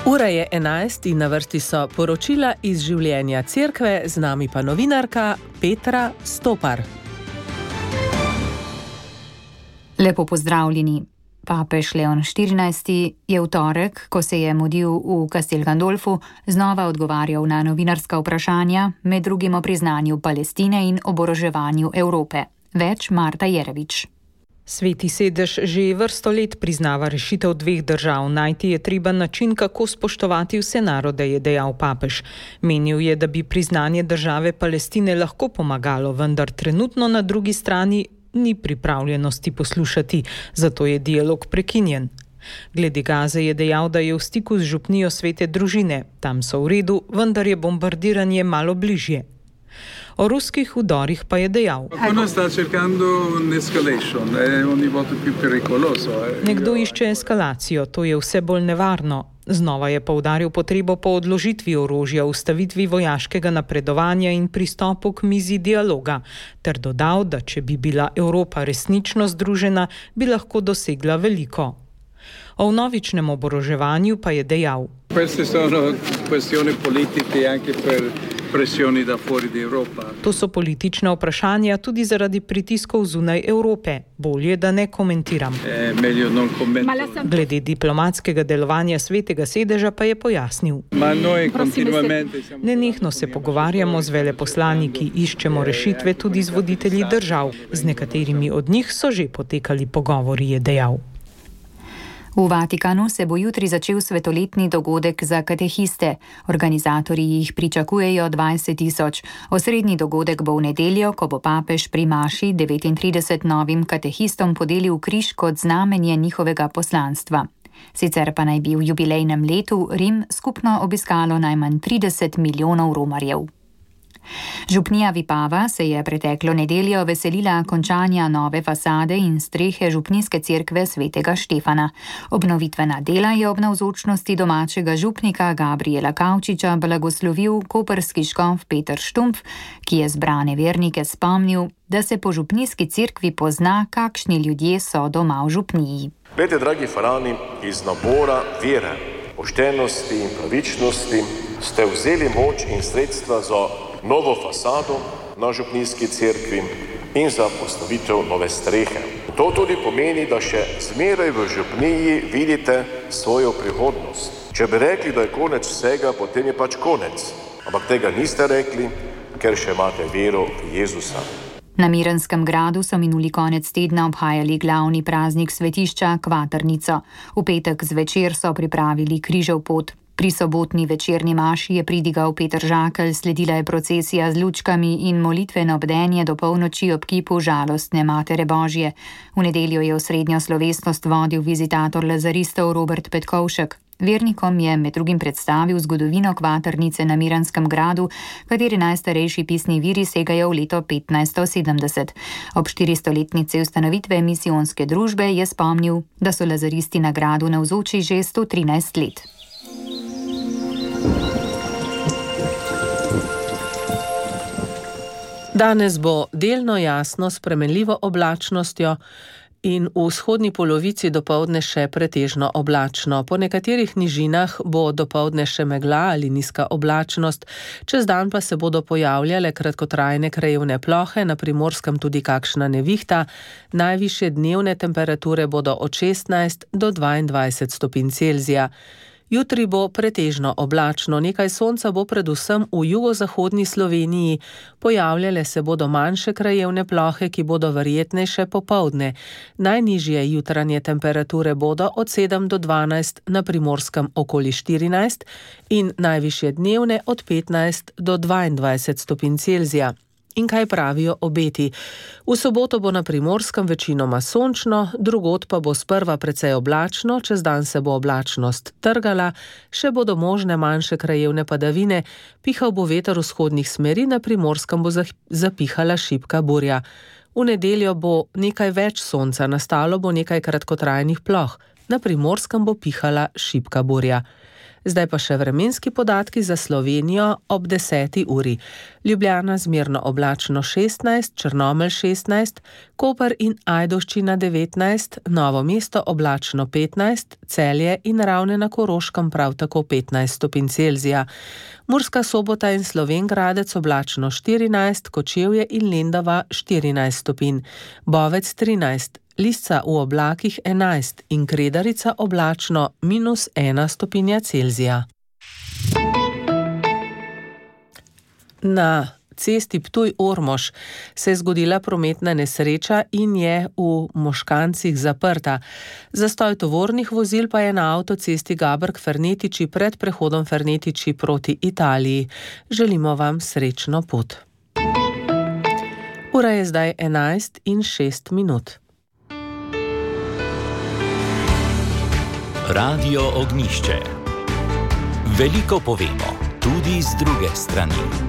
Ura je 11 in na vrsti so poročila iz življenja cerkve, z nami pa novinarka Petra Stopar. Lepo pozdravljeni. Papež Leon XIV je v torek, ko se je mudil v Castel Gandolfu, znova odgovarjal na novinarska vprašanja, med drugim o priznanju Palestine in oboroževanju Evrope. Več Marta Jerevič. Sveti sedež že vrsto let priznava rešitev dveh držav. Najti je treba način, kako spoštovati vse narode, je dejal papež. Menil je, da bi priznanje države Palestine lahko pomagalo, vendar trenutno na drugi strani ni pripravljenosti poslušati, zato je dialog prekinjen. Glede Gaze je dejal, da je v stiku z župnijo Svete družine. Tam so v redu, vendar je bombardiranje malo bližje. O ruskih vdorih pa je dejal: Nekdo išče eskalacijo, to je vse bolj nevarno. Znova je poudaril potrebo po odložitvi orožja, ustavitvi vojaškega napredovanja in pristopu k mizi dialoga, ter dodal, da če bi bila Evropa resnično združena, bi lahko dosegla veliko. O vnovičnem oboroževanju pa je dejal: To so politična vprašanja tudi zaradi pritiskov zunaj Evrope. Bolje, da ne komentiram. Glede diplomatskega delovanja Svetega sedeža pa je pojasnil: Nenehno se pogovarjamo z veleposlaniki, iščemo rešitve tudi z voditelji držav. Z nekaterimi od njih so že potekali pogovori, je dejal. V Vatikanu se bo jutri začel svetoletni dogodek za katehiste. Organizatorji jih pričakujejo 20 000. Osrednji dogodek bo v nedeljo, ko bo papež pri maši 39 novim katehistom podelil križ kot znamenje njihovega poslanstva. Sicer pa naj bi v jubilejnem letu Rim skupno obiskalo najmanj 30 milijonov romarjev. Župnija Vipava se je preteklo nedeljo veselila končanja nove fasade in strehe župnijske cerkve Svetega Štefana. Obnovitvena dela je ob navzočnosti domačega župnika Gabriela Kavčiča blagoslovil koprski škof Peter Štumpf, ki je zbrane vernike spomnil, da se po župnijski cerkvi pozna, kakšni ljudje so doma v župniji. Glede, dragi farani, iz nabora vere, poštenosti in pravičnosti ste vzeli moč in sredstva za novo fasado na župnijski cerkvi in za postavitev nove strehe. To tudi pomeni, da še zmeraj v župniji vidite svojo prihodnost. Če bi rekli, da je konec vsega, potem je pač konec. Ampak tega niste rekli, ker še imate vero v Jezusa. Na Miranskem gradu so minuli konec tedna obhajali glavni praznik svetišča Kvatrnico. V petek zvečer so pripravili križev pot. Pri sobotni večerni maši je pridigal Peter Žakelj, sledila je procesija z lučkami in molitveno bdenje do polnoči ob kipu žalostne Matere Božje. V nedeljo je osrednjo slovesnost vodil vizitator lazaristov Robert Petkovšek. Vernikom je med drugim predstavil zgodovino Kvatrnice na Miranskem gradu, kateri najstarejši pisni viri segajo v leto 1570. Ob 400-letnici ustanovitve misijonske družbe je spomnil, da so lazaristi na gradu navzoči že 113 let. Danes bo delno jasno s spremenljivo oblačnostjo in v vzhodni polovici dopoldne še pretežno oblačno. Po nekaterih nižinah bo dopoldne še megla ali nizka oblačnost, čez dan pa se bodo pojavljale kratkotrajne krajevne plohe, na Primorskem tudi kakšna nevihta. Najvišje dnevne temperature bodo od 16 do 22 stopinj Celzija. Jutri bo pretežno oblačno, nekaj sonca bo predvsem v jugozahodni Sloveniji, pojavljale se bodo manjše krajevne plohe, ki bodo verjetnejše popoldne. Najnižje jutranje temperature bodo od 7 do 12, na Primorskem okoli 14 in najvišje dnevne od 15 do 22 stopinj Celzija. In kaj pravijo obeti? V soboto bo na Primorskem večinoma sončno, drugod pa bo sprva precej oblačno, čez dan se bo oblačnost trgala, še bodo možne manjše krajevne padavine, pihal bo veter vzhodnih smeri, na Primorskem bo zapihala šibka burja. V nedeljo bo nekaj več sonca, nastalo bo nekaj kratkotrajnih ploh. na Primorskem bo pihala šibka burja. Zdaj pa še vremenski podatki za Slovenijo ob 10. uri. Ljubljana zmerno oblačno 16, Črnomelj 16, Koper in Ajdovščina 19, Novo mesto oblačno 15, Celje in Ravne na Koroškem prav tako 15 stopinj Celzija. Murska Sobota in Slovenj Gradec oblačno 14, Kočevje in Lendava 14 stopinj, Bovec 13, Lisca v oblakih 11 in Kredarica oblačno -1 stopinja Celzija. Na cesti Ptuj-Ormož se je zgodila prometna nesreča in je v Moškancih zaprta. Zastoj tovornih vozil pa je na avtocesti Gaberg-Fernetiči pred prehodom Fernetiči proti Italiji. Želimo vam srečno pot. Ura je zdaj 11:06. Radio Ognjišče. Veliko povemo, tudi z druge strani.